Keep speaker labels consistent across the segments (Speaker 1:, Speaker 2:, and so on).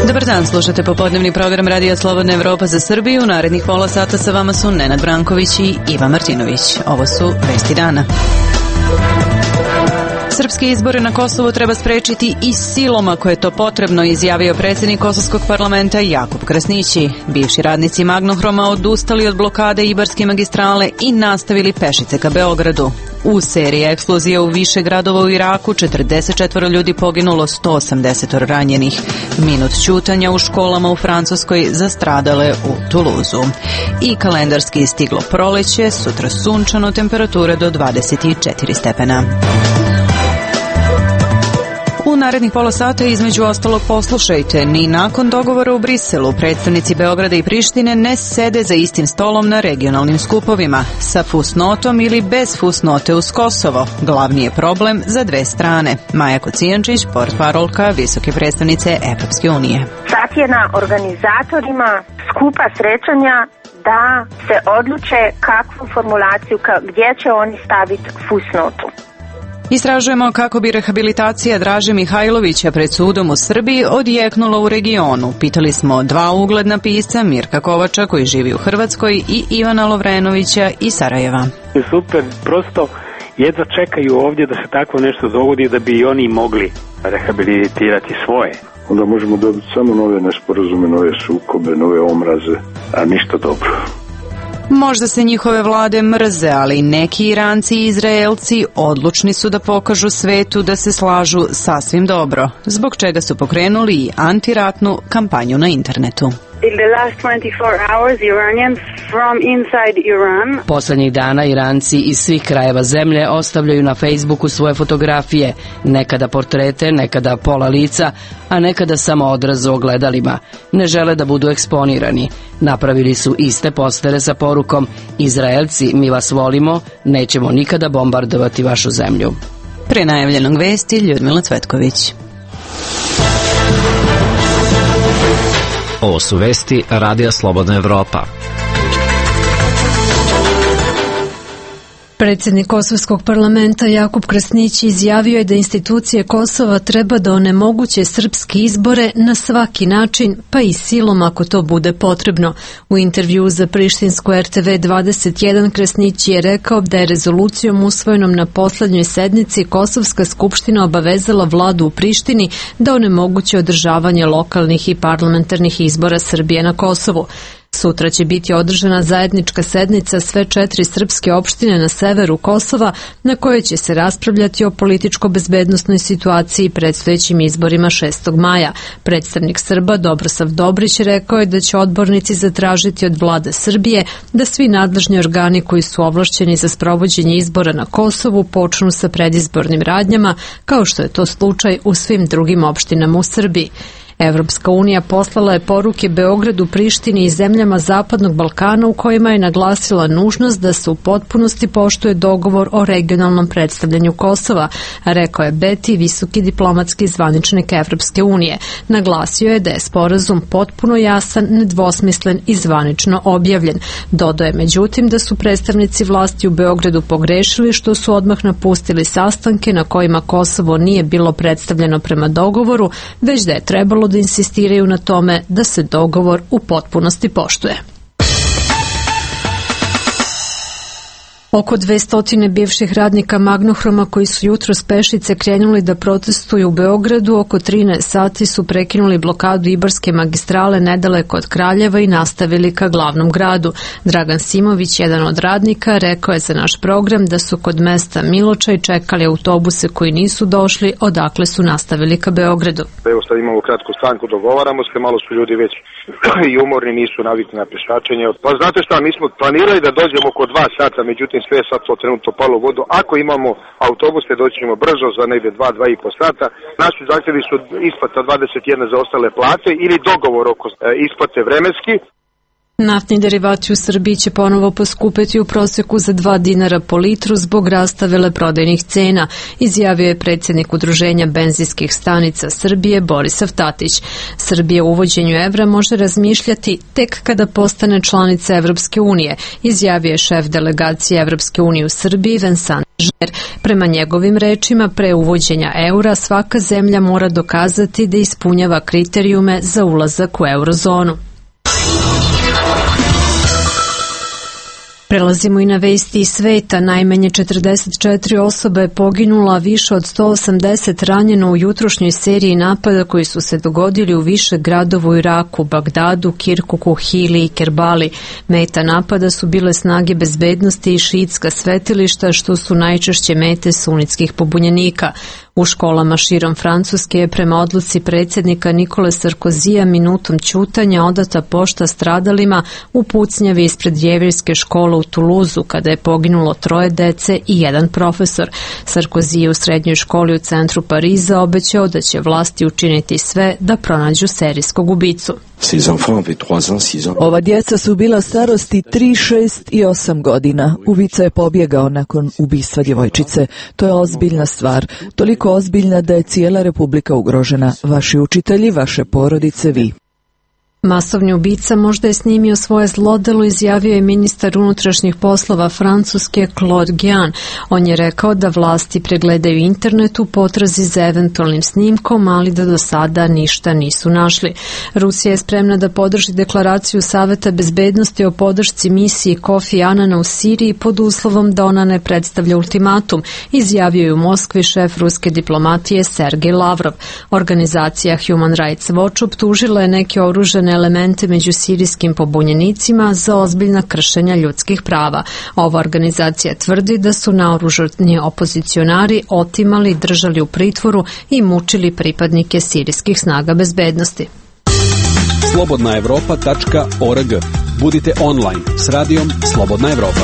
Speaker 1: Dobar dan, slušate popodnevni program Radija Slobodna Evropa za Srbiju. Narednih pola sata sa vama su Nenad Branković i Iva Martinović. Ovo su vesti dana. Srpske izbore na Kosovu treba sprečiti i silom ako je to potrebno, izjavio predsjednik Kosovskog parlamenta Jakub Krasnići. Bivši radnici Magnohroma odustali od blokade Ibarske magistrale i nastavili pešice ka Beogradu. U seriji eksplozija u više gradova u Iraku 44 ljudi poginulo, 180 ranjenih. Minut ćutanja u školama u Francuskoj za stradale u Tuluzu. I kalendarski stiglo proleće, sutra sunčano, temperature do 24 stepena. U narednih pola sata između ostalog poslušajte, ni nakon dogovora u Briselu predstavnici Beograda i Prištine ne sede za istim stolom na regionalnim skupovima, sa fusnotom ili bez fusnote uz Kosovo. Glavni je problem za dve strane. Maja Kocijančić, portparolka visoke predstavnice Evropske unije.
Speaker 2: Sad je na organizatorima skupa srećanja da se odluče kakvu formulaciju, gdje će oni staviti fusnotu.
Speaker 1: Istražujemo kako bi rehabilitacija Draže Mihajlovića pred sudom u Srbiji odjeknula u regionu. Pitali smo dva ugledna pisca, Mirka Kovača koji živi u Hrvatskoj i Ivana Lovrenovića iz Sarajeva.
Speaker 3: Super, prosto jedva čekaju ovdje da se tako nešto dogodi da bi i oni mogli rehabilitirati svoje.
Speaker 4: Onda možemo dobiti samo nove nesporazume, nove sukobe, nove omraze, a ništa dobro.
Speaker 1: Možda se njihove vlade mrze, ali neki Iranci i Izraelci odlučni su da pokažu svetu da se slažu sasvim dobro, zbog čega su pokrenuli i antiratnu kampanju na internetu.
Speaker 5: Poslednjih dana Iranci iz svih krajeva zemlje ostavljaju na Facebooku svoje fotografije, nekada portrete, nekada pola lica, a nekada samo odraz u ogledalima. Ne žele da budu eksponirani. Napravili su iste postere sa porukom: Izraelci, mi vas volimo, nećemo nikada bombardovati vašu zemlju.
Speaker 1: Pre najavljenog vesti Ljudmila Cvetković.
Speaker 6: Ovo su vesti Radija Slobodna Evropa.
Speaker 7: Predsjednik Kosovskog parlamenta Jakub Krasnić izjavio je da institucije Kosova treba da onemoguće srpske izbore na svaki način, pa i silom ako to bude potrebno. U intervjuu za prištinsku RTV 21 Krasnić je rekao da je rezolucijom usvojenom na poslednjoj sednici Kosovska skupština obavezala vladu u Prištini da onemoguće održavanje lokalnih i parlamentarnih izbora Srbije na Kosovu. Sutra će biti održana zajednička sednica sve 4 srpske opštine na severu Kosova, na kojoj će se raspravljati o političko-bezbednosnoj situaciji i predstojećim izborima 6. maja. Predstavnik Srba Dobrosav Dobrić rekao je da će odbornici zatražiti od vlade Srbije da svi nadležni organi koji su ovlašćeni za sprovođenje izbora na Kosovu počnu sa predizbornim radnjama, kao što je to slučaj u svim drugim opštinama u Srbiji. Evropska unija poslala je poruke Beogradu, Prištini i zemljama Zapadnog Balkana u kojima je naglasila nužnost da se u potpunosti poštuje dogovor o regionalnom predstavljanju Kosova, rekao je Beti, visoki diplomatski zvaničnik Evropske unije. Naglasio je da je sporazum potpuno jasan, nedvosmislen i zvanično objavljen. Dodao je međutim da su predstavnici vlasti u Beogradu pogrešili što su odmah napustili sastanke na kojima Kosovo nije bilo predstavljeno prema dogovoru, već da je trebalo da insistiraju na tome da se dogovor u potpunosti poštuje. Oko 200 bivših radnika Magnohroma koji su jutros pešice krenuli da protestuju u Beogradu, oko 13 sati su prekinuli blokadu Ibarske magistrale nedaleko od Kraljeva i nastavili ka glavnom gradu. Dragan Simović, jedan od radnika, rekao je za naš program da su kod mesta Miločaj čekali autobuse koji nisu došli, odakle su nastavili ka Beogradu.
Speaker 8: Evo sad imamo kratku stanku, dogovaramo se, malo su ljudi već i umorni, nisu navikli na pešačenje. Pa znate šta, mi smo planirali da dođemo oko 2 sata, međutim sve je sad to trenutno palo u vodu. Ako imamo autobuse, doći ćemo brzo za negde 2,5 sata. Naši zahtjevi su isplata 21 za ostale plate ili dogovor oko isplate vremenski.
Speaker 7: Naftni derivati u Srbiji će ponovo poskupeti u proseku za 2 dinara po litru zbog rasta veleprodajnih cena, izjavio je predsjednik Udruženja benzinskih stanica Srbije Borisav Tatić. Srbija u uvođenju evra može razmišljati tek kada postane članica Evropske unije, izjavio je šef delegacije Evropske unije u Srbiji Vincent Žer. Prema njegovim rečima, pre uvođenja eura svaka zemlja mora dokazati da ispunjava kriterijume za ulazak u eurozonu. Prelazimo i na vesti iz sveta. Najmanje 44 osobe je poginula, više od 180 ranjeno u jutrošnjoj seriji napada koji su se dogodili u više gradova u Iraku, Bagdadu, Kirkuku, Hili i Kerbali. Meta napada su bile snage bezbednosti i šiitska svetilišta, što su najčešće mete sunitskih pobunjenika. U školama širom Francuske je prema odluci predsjednika Nikole Sarkozija minutom ćutanja odata pošta stradalima u pucnjavi ispred jevrejske škole u Tuluzu, kada je poginulo 3 dece i 1 profesor. Sarkozy je u srednjoj školi u centru Pariza obećao da će vlasti učiniti sve da pronađu serijskog ubicu.
Speaker 9: Ova djeca su bila starosti 3, 6 i 8 godina. Ubica je pobjegao nakon ubistva djevojčice. To je ozbiljna stvar. Toliko ozbiljna da je cijela Republika ugrožena. Vaši učitelji, vaše porodice, vi.
Speaker 7: Masovni ubica možda je snimio svoje zlodelo, izjavio je ministar unutrašnjih poslova Francuske Claude Guéant. On je rekao da vlasti pregledaju internet u potrazi za eventualnim snimkom, ali da do sada ništa nisu našli. Rusija je spremna da podrži deklaraciju Saveta bezbednosti o podršci misiji Kofi Anana u Siriji pod uslovom da ona ne predstavlja ultimatum, izjavio je u Moskvi šef ruske diplomatije Sergej Lavrov. Organizacija Human Rights Watch optužila je neke oružane elemente među sirijskim pobunjenicima za ozbiljna kršenja ljudskih prava. Ova organizacija tvrdi da su naoružani opozicionari otimali, držali u pritvoru i mučili pripadnike sirijskih snaga bezbednosti.
Speaker 10: slobodnaevropa.org. Budite online s radijom Slobodna Evropa.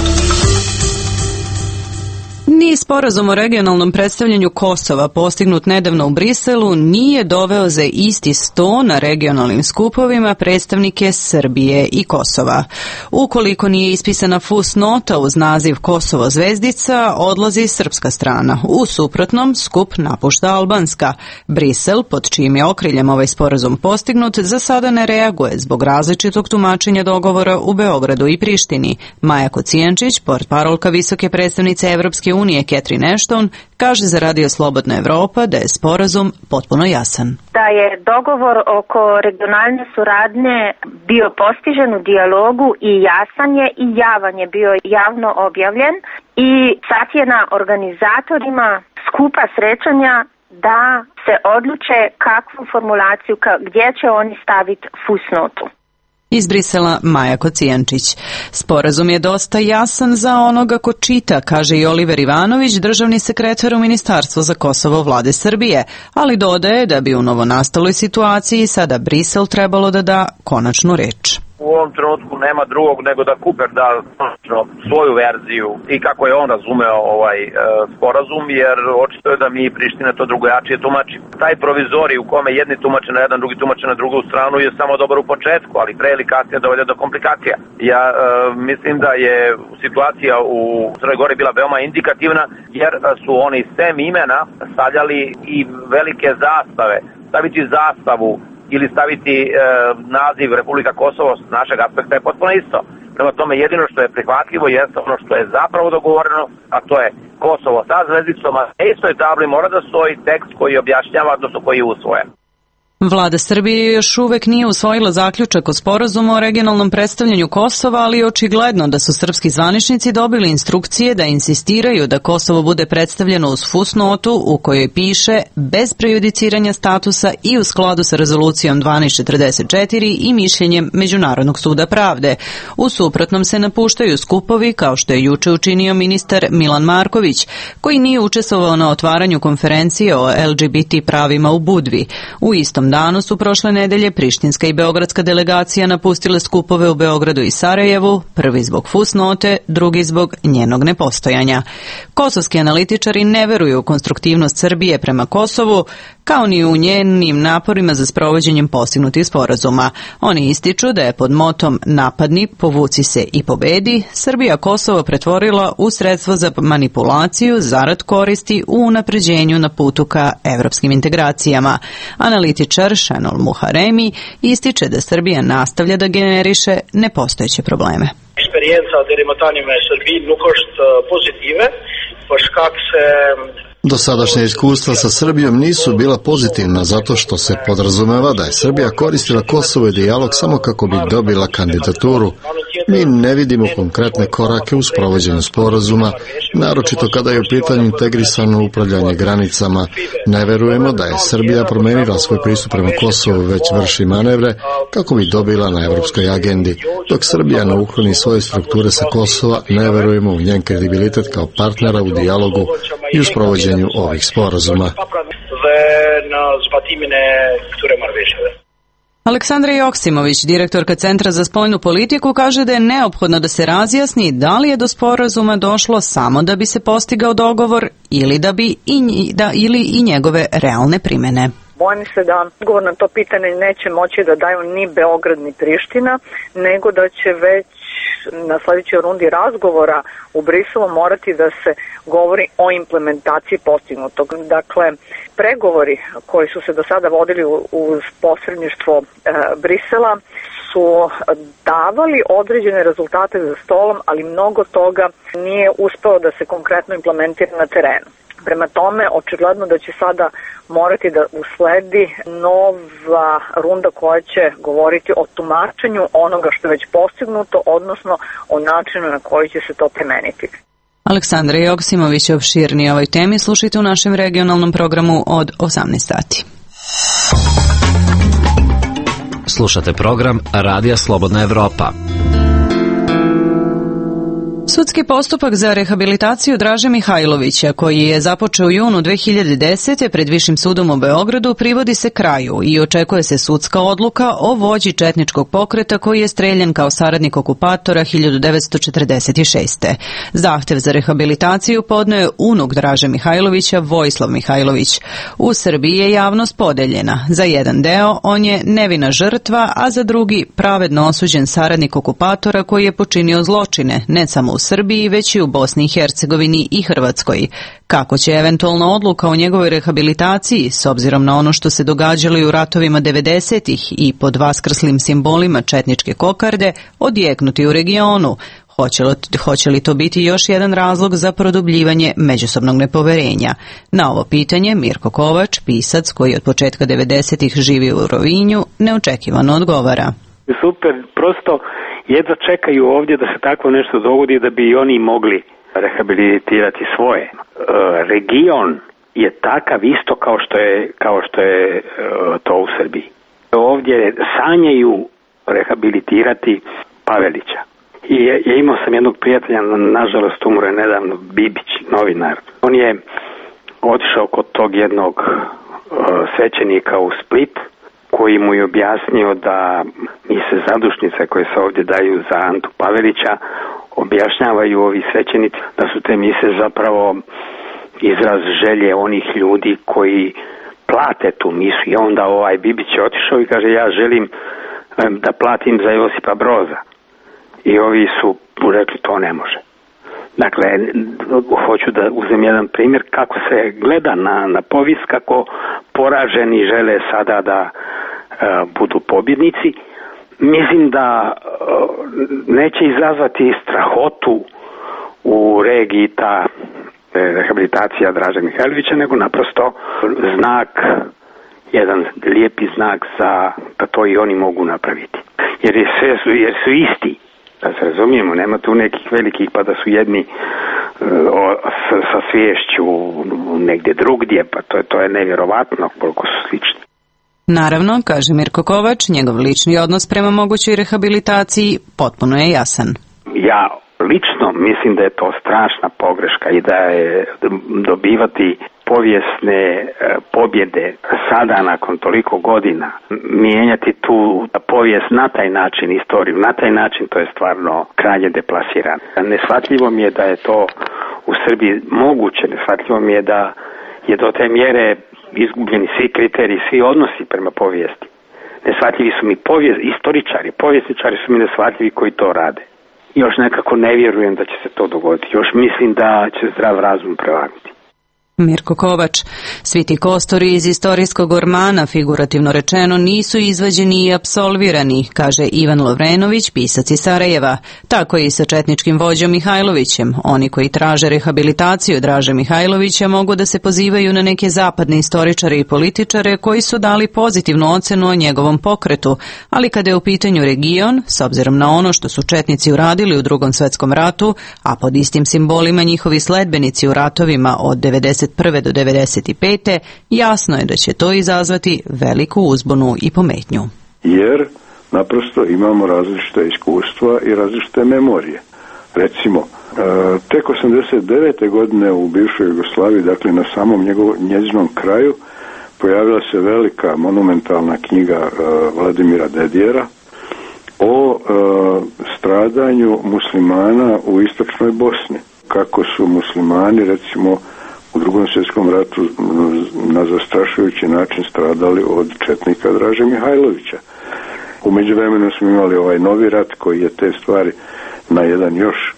Speaker 1: Ni sporazum o regionalnom predstavljanju Kosova postignut nedavno u Briselu nije doveo za isti sto na regionalnim skupovima predstavnike Srbije i Kosova. Ukoliko nije ispisana fusnota uz naziv Kosovo zvezdica, odlazi srpska strana. U suprotnom, skup napušta albanska. Brisel, pod čijim je okriljem ovaj sporazum postignut, za sada ne reaguje zbog različitog tumačenja dogovora u Beogradu i Prištini. Maja Kocijančić, portparolka visoke predstavnice Evropske unije Catherine Ashton, kaže za Radio Slobodna Evropa da je sporazum potpuno jasan.
Speaker 2: Da je dogovor oko regionalne suradnje bio postižen u dijalogu i jasan je i javan je bio javno objavljen i sad je na organizatorima skupa srećanja da se odluče kakvu formulaciju, gdje će oni staviti fusnotu.
Speaker 1: Iz Brisela Maja Kocijančić. Sporazum je dosta jasan za onoga ko čita, kaže i Oliver Ivanović, državni sekretar u Ministarstvu za Kosovo vlade Srbije, ali dodaje da bi u novonastaloj situaciji sada Brisel trebalo da da konačnu reč.
Speaker 11: U ovom trenutku nema drugog nego da Kuper da svoju verziju i kako je on razumeo ovaj sporazum, jer očito je da mi i Priština to drugačije tumači. Taj provizorij u kome jedni tumače na jedan, drugi tumače na drugu stranu je samo dobar u početku, ali pre ili kasnije dovede do komplikacija. Ja mislim da je situacija u Crnoj Gori bila veoma indikativna, jer su oni sem imena stavljali i velike zastave. Staviti zastavu ili staviti naziv Republika Kosovo s našeg aspekta je potpuno isto. Prema tome jedino što je prihvatljivo jeste ono što je zapravo dogovoreno, a to je Kosovo sa zvezdicom, a na istoj tabli mora da stoji tekst koji objašnjava, odnosno koji je usvojen.
Speaker 1: Vlada Srbije još uvek nije usvojila zaključak o sporazumu o regionalnom predstavljanju Kosova, ali je očigledno da su srpski zvaničnici dobili instrukcije da insistiraju da Kosovo bude predstavljeno uz fusnotu u kojoj piše bez prejudiciranja statusa i u skladu sa rezolucijom 1244 i mišljenjem Međunarodnog suda pravde. U suprotnom se napuštaju skupovi, kao što je juče učinio ministar Milan Marković, koji nije učestvovao na otvaranju konferencije o LGBT pravima u Budvi. U istom danu su prošle nedelje prištinska i beogradska delegacija napustile skupove u Beogradu i Sarajevu, prvi zbog fusnote, drugi zbog njenog nepostojanja. Kosovski analitičari ne veruju u konstruktivnost Srbije prema Kosovu, kao ni u njenim naporima za sprovođenjem postignutih sporazuma. Oni ističu da je pod motom napadni, povuci se i pobedi, Srbija Kosovo pretvorila u sredstvo za manipulaciju zarad koristi u unapređenju na putu ka evropskim integracijama. Analitičar Šenol Muharemi ističe da Srbija nastavlja da generiše nepostojeće probleme.
Speaker 12: Experiența de remotanime Srbiji nu cost pozitive, pois kak se
Speaker 13: Dosadašnja iskustva sa Srbijom nisu bila pozitivna zato što se podrazumeva da je Srbija koristila Kosovo i dijalog samo kako bi dobila kandidaturu. Mi ne vidimo konkretne korake u sprovođenju sporazuma, naročito kada je u pitanju integrisano upravljanje granicama. Ne verujemo da je Srbija promenila svoj pristup prema Kosovu, već vrši manevre kako bi dobila na evropskoj agendi. Dok Srbija ne ukloni svoje strukture sa Kosova, ne verujemo u njen kredibilitet kao partnera u dijalogu i u sprovođenju ovih sporazuma.
Speaker 1: Aleksandra Joksimović, direktorka Centra za spoljnu politiku, kaže da je neophodno da se razjasni da li je do sporazuma došlo samo da bi se postigao dogovor ili i njegove realne primene.
Speaker 14: Bojim se da odgovor na to pitanje neće moći da daju ni Beograd ni Priština, nego da će već na sljedećoj rundi razgovora u Briselu morati da se govori o implementaciji postignutog. Dakle, pregovori koji su se do sada vodili uz posredništvo Brisela su davali određene rezultate za stolom, ali mnogo toga nije uspelo da se konkretno implementira na terenu. Prema tome, očigledno da će sada morati da usledi nova runda koja će govoriti o tumačenju onoga što je već postignuto, odnosno o načinu na koji će se to primeniti.
Speaker 1: Aleksandra Joksimović je opširnije o ovoj temi. Slušajte u našem regionalnom programu od 18 sati.
Speaker 6: Slušate program Radija Slobodna Evropa.
Speaker 1: Sudski postupak za rehabilitaciju Draže Mihajlovića, koji je započeo u junu 2010. pred Višim sudom u Beogradu, privodi se kraju i očekuje se sudska odluka o vođi četničkog pokreta koji je streljan kao saradnik okupatora 1946. Zahtev za rehabilitaciju podneo je unuk Draže Mihajlovića, Vojislav Mihajlović. U Srbiji je javnost podeljena. Za jedan deo on je nevina žrtva, a za drugi pravedno osuđen saradnik okupatora koji je počinio zločine, ne samo u Srbiji, već i u Bosni i Hercegovini i Hrvatskoj. Kako će eventualna odluka o njegovoj rehabilitaciji, s obzirom na ono što se događalo i u ratovima 90-ih i pod vaskrslim simbolima četničke kokarde, odjeknuti u regionu? Hoće li to biti još jedan razlog za produbljivanje međusobnog nepoverenja? Na ovo pitanje Mirko Kovač, pisac koji od početka 90-ih živi u Rovinju, neočekivano odgovara.
Speaker 3: Super, prosto jedva čekaju ovdje da se takvo nešto dogodi da bi i oni mogli rehabilitirati svoje. Region je takav isto kao što je to u Srbiji. Ovdje sanjaju rehabilitirati Pavelića. I ja imao sam jednog prijatelja, nažalost umro je nedavno, Bibić, novinar. On je otišao kod tog jednog svećenika u Split, koji mu je objasnio da mise zadušnice koje se ovdje daju za Antu Pavelića objašnjavaju ovi svećenici da su te mise zapravo izraz želje onih ljudi koji plate tu misu. I onda Bibić je otišao i kaže ja želim da platim za Josipa Broza. I ovi su rekli to ne može. Dakle, hoću da uzem jedan primjer kako se gleda na povijest, kako poraženi žele sada da budu pobjednici. Mislim da neće izazvati strahotu u regiji ta rehabilitacija Draže Mihajlovića, nego naprosto znak, jedan lijepi znak da to i oni mogu napraviti. Jer su isti. Da se razumijemo, nema tu nekih velikih pa da su jedni sa sviješću negdje drugdje, pa to je nevjerovatno koliko su slični.
Speaker 1: Naravno, kaže Mirko Kovač, njegov lični odnos prema mogućoj rehabilitaciji potpuno je jasan.
Speaker 3: Ja lično mislim da je to strašna pogreška i da je dobivati povijesne pobjede sada nakon toliko godina, mijenjati tu povijest na taj način, istoriju na taj način, to je stvarno krajnje deplasirano. Neshvatljivo mi je da je to u Srbiji moguće, neshvatljivo mi je da je do te mjere izgubljeni svi kriteriji, svi odnosi prema povijesti. Neshvatljivi su mi povjesničari su mi neshvatljivi koji to rade. Još nekako ne vjerujem da će se to dogoditi. Još mislim da će zdrav razum prevagnuti.
Speaker 1: Mirko Kovač. Svi ti kostori iz istorijskog ormana, figurativno rečeno, nisu izvađeni i apsolvirani, kaže Ivan Lovrenović, pisac iz Sarajeva. Tako i sa četničkim vođom Mihajlovićem. Oni koji traže rehabilitaciju Draže Mihajlovića mogu da se pozivaju na neke zapadne istoričare i političare koji su dali pozitivnu ocenu o njegovom pokretu, ali kada je u pitanju region, s obzirom na ono što su četnici uradili u Drugom svetskom ratu, a pod istim simbolima njihovi sledbenici u ratovima od 91. do 95. jasno je da će to izazvati veliku uzbunu i pometnju.
Speaker 4: Jer naprosto imamo različite iskustva i različite memorije. Recimo, tek 89. godine u bivšoj Jugoslaviji, dakle na samom njezinom kraju, pojavila se velika monumentalna knjiga Vladimira Dedijera o stradanju muslimana u istočnoj Bosni. Kako su muslimani, recimo, u Drugom svjetskom ratu na zastrašujući način stradali od četnika Draže Mihajlovića. U međuvremenu smo imali ovaj novi rat koji je te stvari na jedan još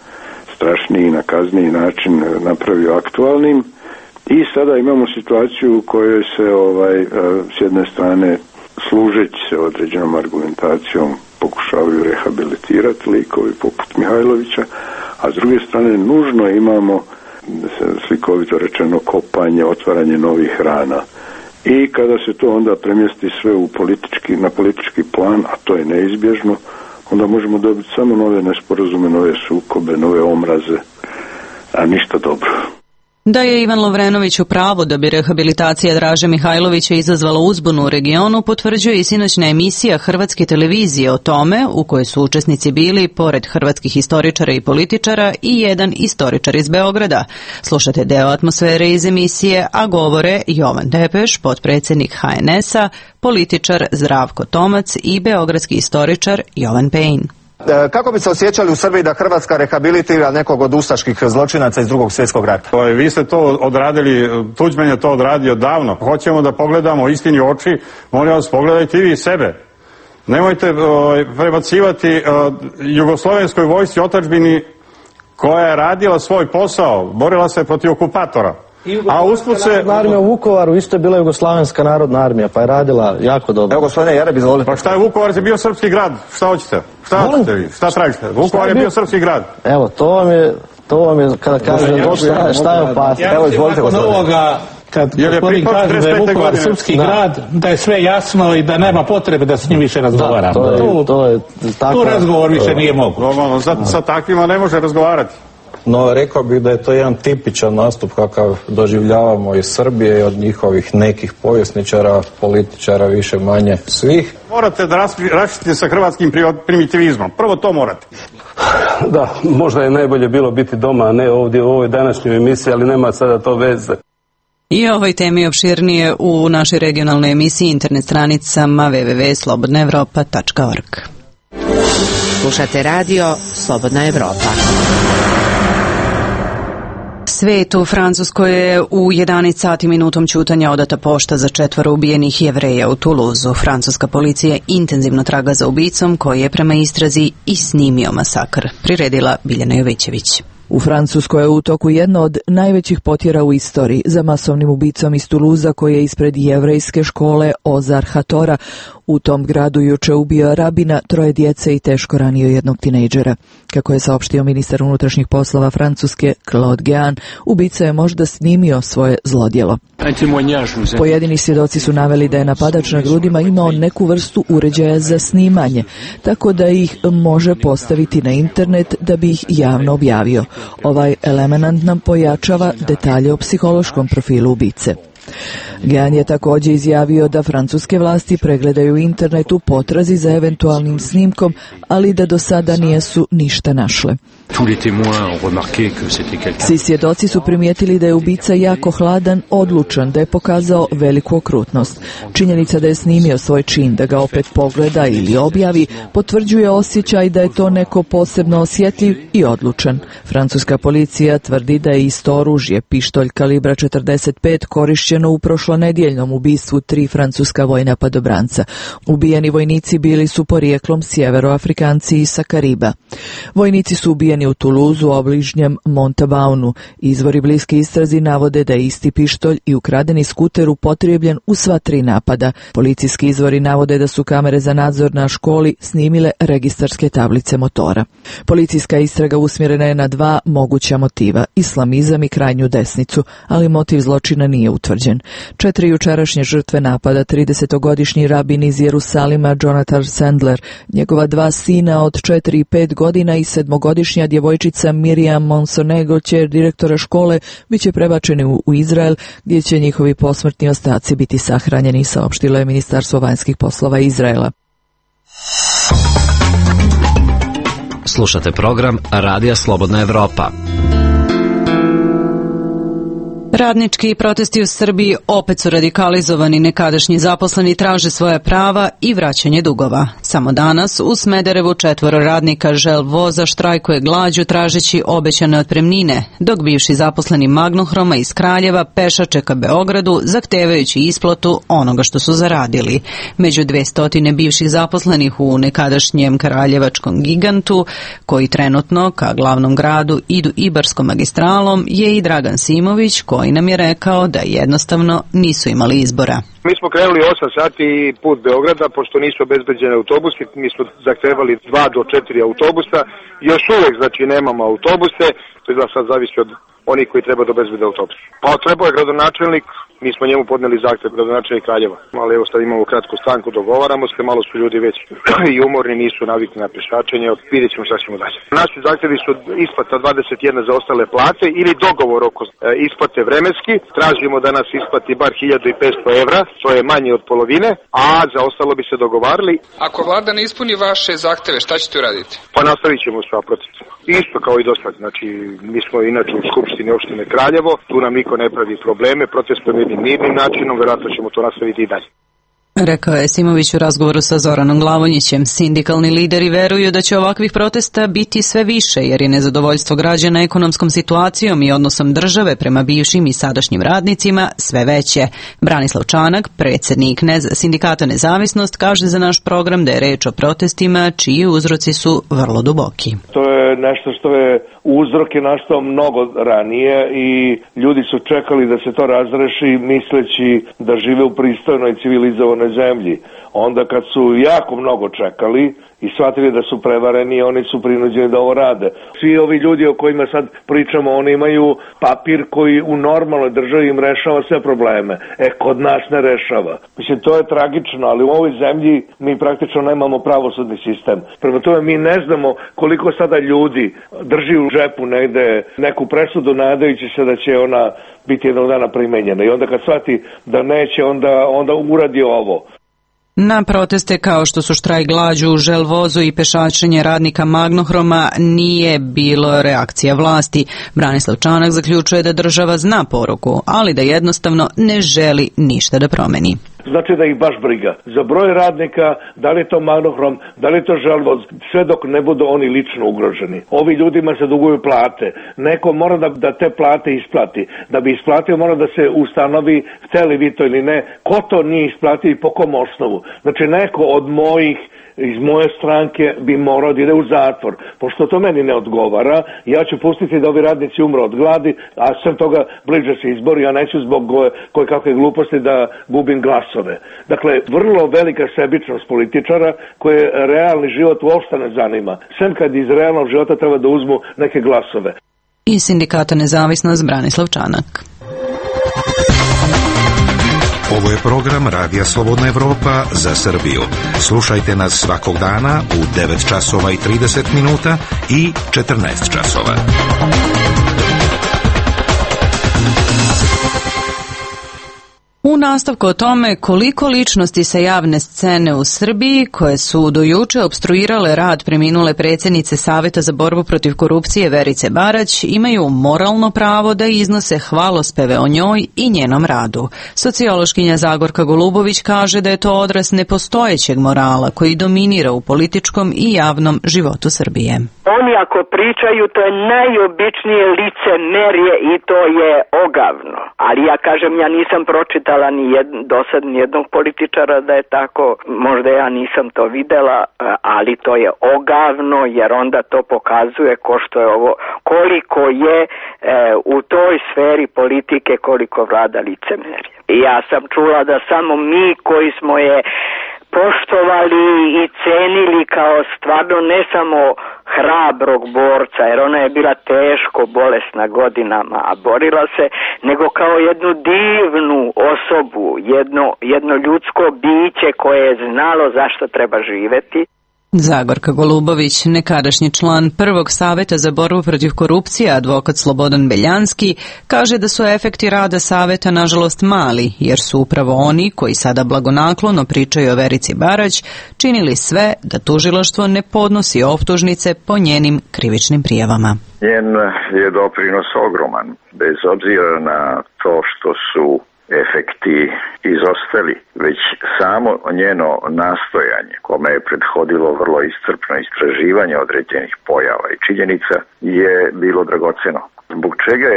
Speaker 4: strašniji i nakazniji način napravio aktualnim i sada imamo situaciju u kojoj se s jedne strane služeći se određenom argumentacijom pokušavaju rehabilitirati likovi poput Mihajlovića, a s druge strane nužno imamo slikovito rečeno kopanje, otvaranje novih rana. I kada se to onda premjesti sve na politički plan, a to je neizbježno, onda možemo dobiti samo nove nesporazume, nove sukobe, nove omraze, a ništa dobro.
Speaker 1: Da je Ivan Lovrenović u pravu da bi rehabilitacija Draže Mihajlovića izazvala uzbunu u regionu, potvrđuje i sinoćna emisija Hrvatske televizije o tome, u kojoj su učesnici bili, pored hrvatskih historičara i političara, i jedan istoričar iz Beograda. Slušate deo atmosfere iz emisije, a govore Jovan Tepeš, potpredsjednik HNS-a, političar Zdravko Tomac i beogradski istoričar Jovan Pejin.
Speaker 15: Kako bi se osjećali u Srbiji da Hrvatska rehabilitira nekog od ustaških zločinaca iz Drugog svjetskog rata?
Speaker 16: Vi ste to odradili, Tuđman je to odradio davno. Hoćemo da pogledamo istini u oči, molim vas, pogledajte i vi sebe. Nemojte prebacivati jugoslovenskoj vojsci otadžbini koja je radila svoj posao, borila se protiv okupatora. A usput se...
Speaker 17: Armija u Vukovaru isto je bila Jugoslavenska narodna armija, pa je radila jako dobro.
Speaker 15: Evo, gospodine Jareb, izvolite.
Speaker 16: Pa šta je Vukovar, je bio srpski grad? Šta hoćete? Šta hoćete vi? Šta tražite? Vukovar je bio srpski grad.
Speaker 17: Evo, to vam je kada kažem šta je opasno.
Speaker 15: Evo, izvolite, gospodine.
Speaker 18: Kad gospodin kaže da je Vukovar srpski grad, da je sve jasno i da nema potrebe da s njim više razgovaramo. Tu razgovor više nije moguć.
Speaker 16: Sa takvima ne može razgovarati.
Speaker 17: No, rekao bih da je to jedan tipičan nastup kakav doživljavamo iz Srbije i od njihovih nekih povjesničara, političara, više manje svih.
Speaker 16: Morate da raščistite sa hrvatskim primitivizmom. Prvo to morate.
Speaker 19: Da, možda je najbolje bilo biti doma, a ne ovdje u ovoj današnjoj emisiji, ali nema sada to veze.
Speaker 1: I o ovoj temi opširnije u našoj regionalnoj emisiji, internet stranicama www.slobodnaevropa.org.
Speaker 20: Slušate radio Slobodna Evropa.
Speaker 1: Svet u Francuskoj je u 11 sati minutom ćutanja odata pošta za 4 ubijenih Jevreja u Tuluzu. Francuska policija intenzivno traga za ubicom koji je prema istrazi i snimio masakr. Priredila Biljana Jovićević.
Speaker 9: U Francuskoj je u toku jedna od najvećih potjera u istoriji za masovnim ubicom iz Tuluza koji je ispred jevrejske škole Ozar Hatora. U tom gradu juče ubio rabina, 3 djece i teško ranio jednog tinejdžera. Kako je saopštio ministar unutrašnjih poslova Francuske Claude Guéant, ubica je možda snimio svoje zlodjelo. Pojedini svjedoci su naveli da je napadač na grudima imao neku vrstu uređaja za snimanje, tako da ih može postaviti na internet da bi ih javno objavio. Ovaj element nam pojačava detalje o psihološkom profilu ubice. Guéant je također izjavio da francuske vlasti pregledaju internet u potrazi za eventualnim snimkom, ali da do sada nisu ništa našle. Svi svjedoci su primijetili da je ubica jako hladan, odlučan, da je pokazao veliku okrutnost. Činjenica da je snimio svoj čin, da ga opet pogleda ili objavi, potvrđuje osjećaj da je to neko posebno osjetljiv i odlučan. Francuska policija tvrdi da je isto oružje, pištolj kalibra 45, korišćen povrijeđeno u prošlonedjeljnom ubistvu 3 francuska vojna padobranca. Ubijeni vojnici bili su porijeklom sjeveroafrikanci i sa Kariba. Vojnici su ubijeni u Toulouseu, obližnjem Montabaunu. Izvori bliski istrazi navode da je isti pištolj i ukradeni skuter upotrijebljen u sva 3 napada. Policijski izvori navode da su kamere za nadzor na školi snimile registarske tablice motora. Policijska istraga usmjerena je na 2 moguća motiva, islamizam i krajnju desnicu, ali motiv zločina nije utvrđen. 4 jučerašnje žrtve napada, 30-godišnji rabin iz Jerusalima Jonathan Sandler, njegova 2 sina od 4 i 5 godina i 7-godišnja djevojčica Miriam Monsonego, kćer direktora škole, bit će prebačeni u Izrael, gdje će njihovi posmrtni ostaci biti sahranjeni, saopštilo je Ministarstvo vanjskih poslova Izraela.
Speaker 6: Slušate program Radija Slobodna Evropa.
Speaker 1: Radnički protesti u Srbiji opet su radikalizovani, nekadašnji zaposleni traže svoja prava i vraćanje dugova. Samo danas u Smederevu 4 radnika Želvoza štrajkuje glađu tražeći obećane otpremnine, dok bivši zaposleni Magnohroma iz Kraljeva pešače ka Beogradu zahtevajući isplatu onoga što su zaradili. Među 200 bivših zaposlenih u nekadašnjem kraljevačkom gigantu, koji trenutno ka glavnom gradu idu Ibarskom magistralom, je i Dragan Simović, koji nam je rekao da jednostavno nisu imali izbora.
Speaker 8: Mi smo krenuli 8 sati put Beograda, pošto nisu obezbeđeni autobusi, mi smo zahtevali 2 do 4 autobusa, još uvek znači nemamo autobuse, to je da sad zavisi od onih koji treba da obezbede autobus. Pa trebao je gradonačelnik, mi smo njemu podneli zahtev, gradonačelnik Kraljeva, ali evo sad imamo kratku stanku, dogovaramo se, malo su ljudi već i umorni, nisu navikli na pešačenje, vidjet ćemo šta ćemo dalje. Naši zahtevi su isplata 21 za ostale plate ili dogovor oko isplate vremenski, tražimo da nas isplati bar 1500 evra, to je manje od polovine, a za ostalo bi se dogovarali.
Speaker 21: Ako vlada ne ispuni vaše zahteve, šta ćete uraditi?
Speaker 8: Pa nastavit ćemo sa protestom. Isto kao i do sad, znači mi smo inače u Skupštini opštine Kraljevo, tu nam niko ne pravi probleme, protestujemo jednim mirnim načinom, vjerojatno ćemo to nastaviti i dalje.
Speaker 1: Rekao je Simović u razgovoru sa Zoranom Glavonjićem. Sindikalni lideri veruju da će ovakvih protesta biti sve više, jer je nezadovoljstvo građana ekonomskom situacijom i odnosom države prema bivšim i sadašnjim radnicima sve veće. Branislav Čanak, predsjednik Sindikata Nezavisnost, kaže za naš program da je reč o protestima čiji uzroci su vrlo duboki.
Speaker 22: To je nešto što je uzrok je nastao mnogo ranije i ljudi su čekali da se to razreši misleći da žive u pristojnoj civilizovanoj zemlji. Onda kad su jako mnogo čekali i shvatili da su prevareni, oni su prinuđeni da ovo rade. Svi ovi ljudi o kojima sad pričamo, oni imaju papir koji u normalnoj državi im rešava sve probleme. Kod nas ne rešava. Mislim, to je tragično, ali u ovoj zemlji mi praktično nemamo pravosudni sistem. Prema tome mi ne znamo koliko sada ljudi drži u džepu negde neku presudu nadajući se da će ona biti jednog dana primenjena. I onda kad shvati da neće, onda uradi ovo.
Speaker 1: Na proteste kao što su štrajk glađu u Želvozu i pešačenje radnika Magnohroma nije bilo reakcija vlasti. Branislav Čanak zaključuje da država zna poruku, ali da jednostavno ne želi ništa da promeni.
Speaker 22: Znači da ih baš briga. Za broj radnika, da li je to Magnohrom, da li je to Želvoz, sve dok ne budu oni lično ugroženi. Ovi ljudima se duguju plate. Neko mora da te plate isplati. Da bi isplatio mora da se ustanovi, hteli vi to ili ne, ko to nije isplatio i po kom osnovu. Znači neko od iz moje stranke bi morao da ide u zatvor. Pošto to meni ne odgovara, ja ću pustiti da ovi radnici umru od gladi, a sem toga bliže se izbori, ja neću zbog koje kakve gluposti da gubim glasove. Dakle, vrlo velika sebičnost političara koje realni život uopšte ne zanima. Sem kad iz realnog života treba da uzmu neke glasove.
Speaker 1: I Sindikata Nezavisnost Branislav Čanak.
Speaker 23: Ovo je program Radija Slobodna Evropa za Srbiju. Slušajte nas svakog dana u 9 časova i 30 minuta i 14 časova.
Speaker 1: U nastavku o tome koliko ličnosti sa javne scene u Srbiji, koje su do juče opstruirale rad preminule predsjednice Saveta za borbu protiv korupcije Verice Barać, imaju moralno pravo da iznose hvalospeve o njoj i njenom radu. Sociološkinja Zagorka Golubović kaže da je to odraz nepostojećeg morala koji dominira u političkom i javnom životu Srbije.
Speaker 24: Oni ako pričaju, to je najobičnije licemerje i to je
Speaker 5: ogavno. Ali ja kažem, ja nisam pročitala do sad nijednog političara da je tako, možda ja nisam to videla, ali to je ogavno, jer onda to pokazuje koliko je u toj sferi politike, koliko vlada licemerje. I ja sam čula da samo mi koji smo je poštovali i cenili kao stvarno ne samo hrabrog borca, jer ona je bila teško bolesna godinama, a borila se, nego kao jednu divnu osobu, jedno ljudsko biće koje je znalo zašto treba živeti.
Speaker 1: Zagorka Golubović, nekadašnji član prvog saveta za borbu protiv korupcije, advokat Slobodan Beljanski, kaže da su efekti rada saveta nažalost mali, jer su upravo oni koji sada blagonaklono pričaju o Verici Barać činili sve da tužilaštvo ne podnosi optužnice po njenim krivičnim prijavama.
Speaker 7: Njen je doprinos ogroman, bez obzira na to što su efekti izostali, već samo njeno nastojanje, kome je prethodilo vrlo iscrpno istraživanje određenih pojava i činjenica, je bilo dragoceno. Zbog čega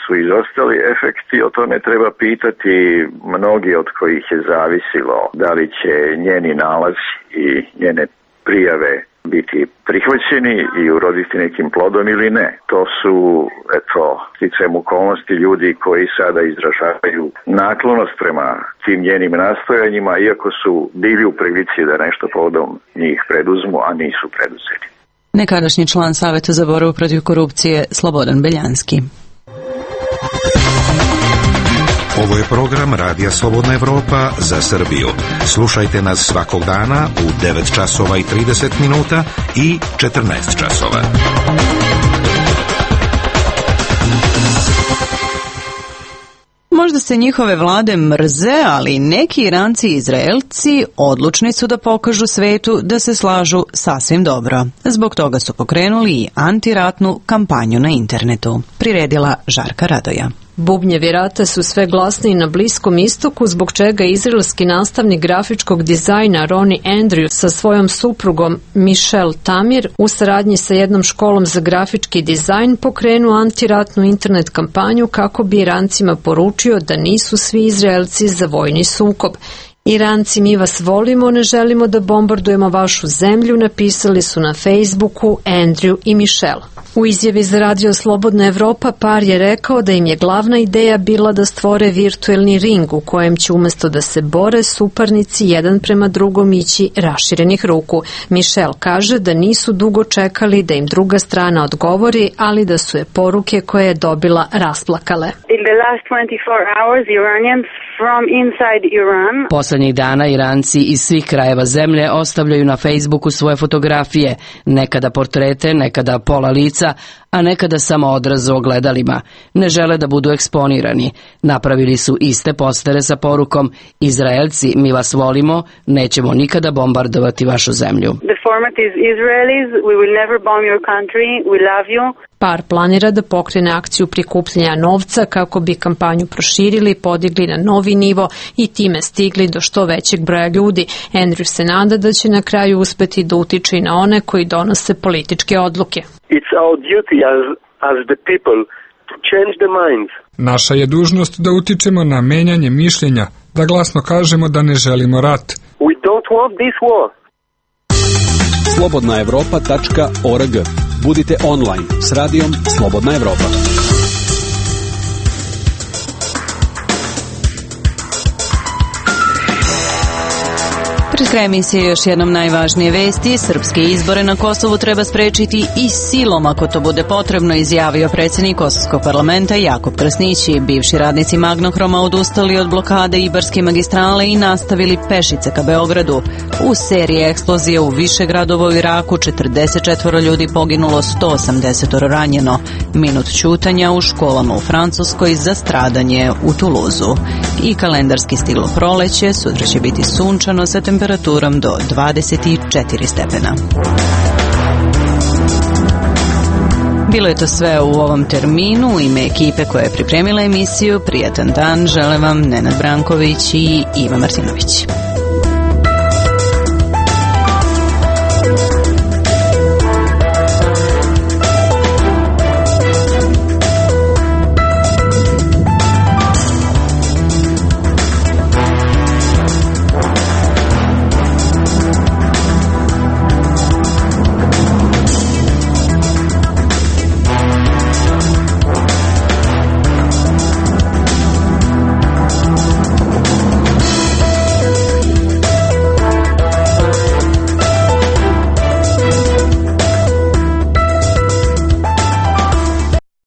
Speaker 7: su izostali efekti, o tome treba pitati mnogi od kojih je zavisilo da li će njeni nalazi i njene prijave biti prihvaćeni i uroditi nekim plodom ili ne. To su, sticajem okolnosti, ljudi koji sada izražavaju naklonost prema tim njenim nastojanjima, iako su bili u prilici da nešto povodom njih preduzmu, a nisu preduzeli.
Speaker 1: Nekadašnji član Saveta za borbu protiv korupcije Slobodan Beljanski.
Speaker 23: Ovo je program Radija Slobodna Evropa za Srbiju. Slušajte nas svakog dana u 9 časova i 30 minuta i 14 časova.
Speaker 1: Možda se njihove vlade mrze, ali neki Iranci i Izraelci odlučni su da pokažu svetu da se slažu sasvim dobro. Zbog toga su pokrenuli i antiratnu kampanju na internetu. Priredila Žarka Radoja.
Speaker 10: Bubnjevi rata su sve glasniji na Bliskom istoku, zbog čega izraelski nastavnik grafičkog dizajna Ronnie Andrew sa svojom suprugom Michelle Tamir u saradnji sa jednom školom za grafički dizajn pokrenuo antiratnu internet kampanju kako bi Irancima poručio da nisu svi Izraelci za vojni sukob. Iranci, mi vas volimo, ne želimo da bombardujemo vašu zemlju, napisali su na Facebooku Andrew i Michelle. U izjavi za Radio Slobodna Evropa par je rekao da im je glavna ideja bila da stvore virtuelni ring u kojem će umjesto da se bore suparnici jedan prema drugom ići raširenih ruku. Michelle kaže da nisu dugo čekali da im druga strana odgovori, ali da su je poruke koje je dobila rasplakale.
Speaker 24: In the last 24 hours, Iranians from inside Iran.
Speaker 25: Poslednjih dana Iranci iz svih krajeva zemlje ostavljaju na Facebooku svoje fotografije, nekada portrete, nekada pola lica, a nekada samo odraz u ogledalima. Ne žele da budu eksponirani. Napravili su iste postere sa porukom: Izraelci, mi vas volimo, nećemo nikada bombardovati vašu zemlju.
Speaker 24: The format is Israelis, we will never bomb your country, we love you.
Speaker 10: Par planira da pokrene akciju prikupljanja novca kako bi kampanju proširili, podigli na novi nivo i time stigli do što većeg broja ljudi. Andrew se nada da će na kraju uspeti da utiče i na one koji donose političke odluke.
Speaker 26: It's our duty as the people to change the minds.
Speaker 27: Naša je dužnost da utičemo na menjanje mišljenja, da glasno kažemo da ne želimo rat.
Speaker 26: We don't want this war.
Speaker 28: slobodnaevropa.org. Budite online s radijom Slobodna Evropa.
Speaker 1: Pred kraj emisije još jednom najvažnije vesti. Srpske izbore na Kosovu treba sprečiti i silom ako to bude potrebno, izjavio predsjednik Kosovskog parlamenta Jakub Krasnići. Bivši radnici Magnohroma odustali od blokade Ibarske magistrale i nastavili pešice ka Beogradu. U seriji eksplozija u više gradova u Iraku 44 ljudi poginulo, 180 ranjeno. Minut ćutanja u školama u Francuskoj za stradanje u Tuluzu. I kalendarski stil proleće, sutra će biti sunčano sa temperaturom do 24 stepena. Bilo je to sve u ovom terminu. U ime ekipe koja je pripremila emisiju, prijatan dan žele vam Nenad Branković i Iva Martinović.